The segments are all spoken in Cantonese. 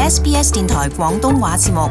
SBS 電台廣東話節目。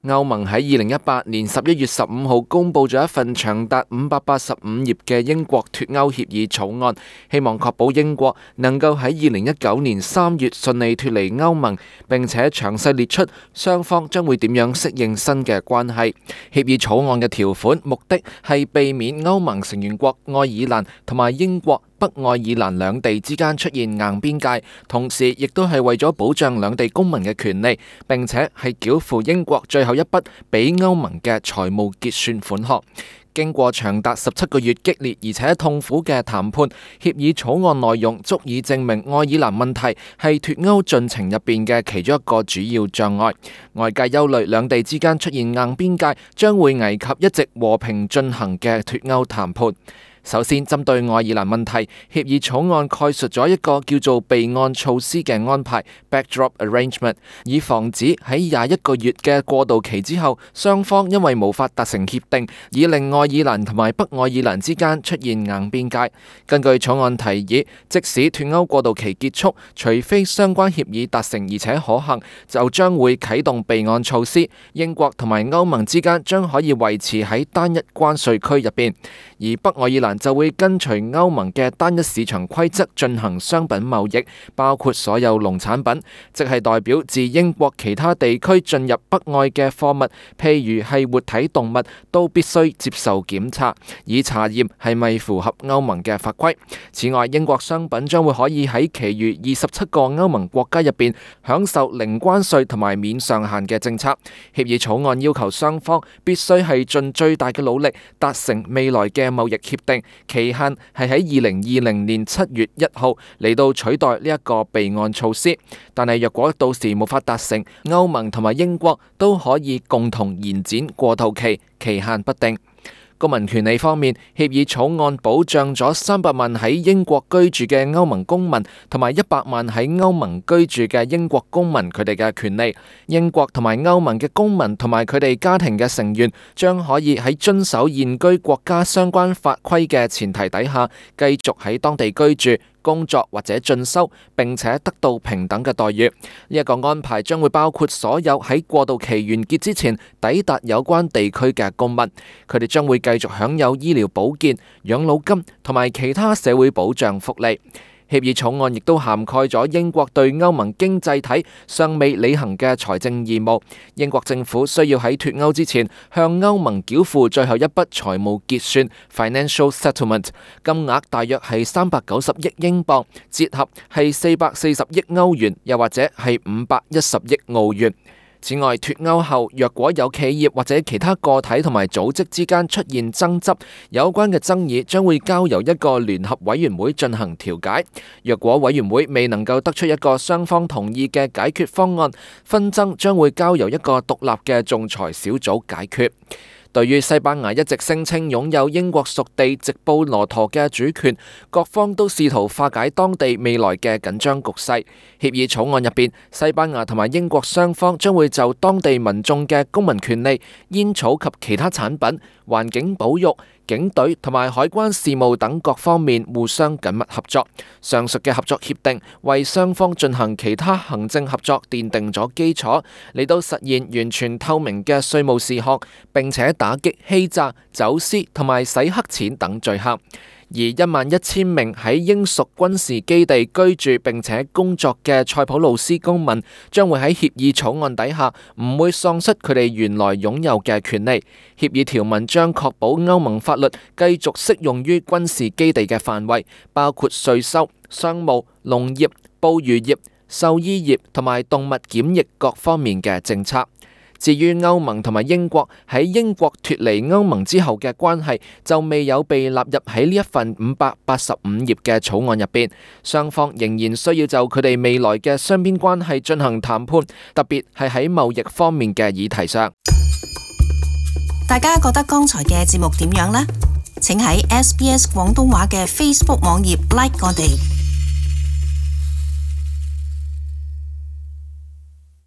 歐盟喺2018年11月15號公佈咗一份長達585頁嘅英國脫歐協議草案，希望確保英國能夠喺2019年3月順利脫離歐盟，並且詳細列出雙方將會點樣適應新嘅關係。協議草案嘅條款目的係避免歐盟成員國愛爾蘭同埋英國北愛爾蘭兩地之間出現硬邊界，同時亦都係為咗保障兩地公民嘅權利，並且係繳付英國最後一筆俾歐盟嘅財務結算款項。經過長達17個月激烈而且痛苦嘅談判，協議草案內容足以證明愛爾蘭問題係脫歐進程入邊嘅其中一個主要障礙。外界憂慮兩地之間出現硬邊界將會危及一直和平進行嘅脫歐談判。首先，針對愛爾蘭問題，協議草案概述咗一個叫做備案措施嘅安排 （backdrop arrangement）， 以防止喺21個月嘅過渡期之後，雙方因為無法達成協定，以令愛爾蘭同埋北愛爾蘭之間出現硬邊界。根據草案提議，即使脫歐過渡期結束，除非相關協議達成而且可行，就將會啟動備案措施。英國同埋歐盟之間將可以維持喺單一關稅區入邊，而北愛爾蘭就會跟隨歐盟嘅單一市場規則進行商品貿易，包括所有農產品，即係代表自英國其他地區進入北愛嘅貨物，譬如係活體動物，都必須接受檢查，以查驗係咪符合歐盟嘅法規。此外，英國商品將會可以喺其餘27個歐盟國家入邊享受零關稅同埋免上限嘅政策。協議草案要求雙方必須係盡最大嘅努力達成未來嘅貿易協定，期限係喺2020年7月1號嚟到取代呢一個備案措施。但係若果到時無法達成，歐盟同埋英國都可以共同延展過渡期，期限不定。公民權利方面，協議草案保障咗300萬喺英國居住嘅歐盟公民同埋100萬喺歐盟居住嘅英國公民佢哋嘅權利。英國同埋歐盟嘅公民同埋佢哋家庭嘅成員將可以喺遵守現居國家相關法規嘅前提底下，繼續喺當地居住、工作或者進修，並且得到平等嘅待遇。呢一個安排將會包括所有喺過渡期完結之前抵達有關地區嘅公民，佢哋將會繼續享有醫療保健、養老金同埋其他社會保障福利。協議草案亦都涵蓋咗英國對歐盟經濟體尚未履行嘅財政義務。英國政府需要喺脫歐之前向歐盟繳付最後一筆財務結算 （financial settlement）， 金額大約係390億英鎊，折合係440億歐元，又或者係510億澳元。此外，脫歐後若果有企業或者其他個體同埋組織之間出現爭執，有關嘅爭議將會交由一個聯合委員會進行調解。若果委員會未能夠得出一個雙方同意嘅解決方案，紛爭將會交由一個獨立嘅仲裁小組解決。對於西班牙一直聲稱擁有英國屬地直布羅陀嘅主權，各方都試圖化解當地未來嘅緊張局勢。協議草案入邊，西班牙同埋英國雙方將會就當地民眾嘅公民權利、煙草及其他產品、環境保育、警隊同埋海關事務等各方面互相緊密合作。上述嘅合作協定為雙方進行其他行政合作奠定咗基礎，嚟到實現完全透明嘅稅務事項，並且打擊欺詐、走私同埋洗黑錢等罪行。而11000名喺英屬軍事基地居住並且工作嘅塞浦路斯公民，將會喺協議草案底下唔會喪失佢哋原來擁有嘅權利。協議條文將確保歐盟法律繼續適用於軍事基地嘅範圍，包括稅收、商務、農業、捕魚業、獸醫業同埋動物檢疫各方面嘅政策。至於歐盟同埋英國喺英國脫離歐盟之後嘅關係，就未有被納入喺呢一份585頁嘅草案入邊。雙方仍然需要就佢哋未來嘅雙邊關係進行談判，特別係喺貿易方面嘅議題上。大家覺得剛才嘅節目點樣呢？請喺SBS 廣東話嘅 Facebook 網頁 like 我哋。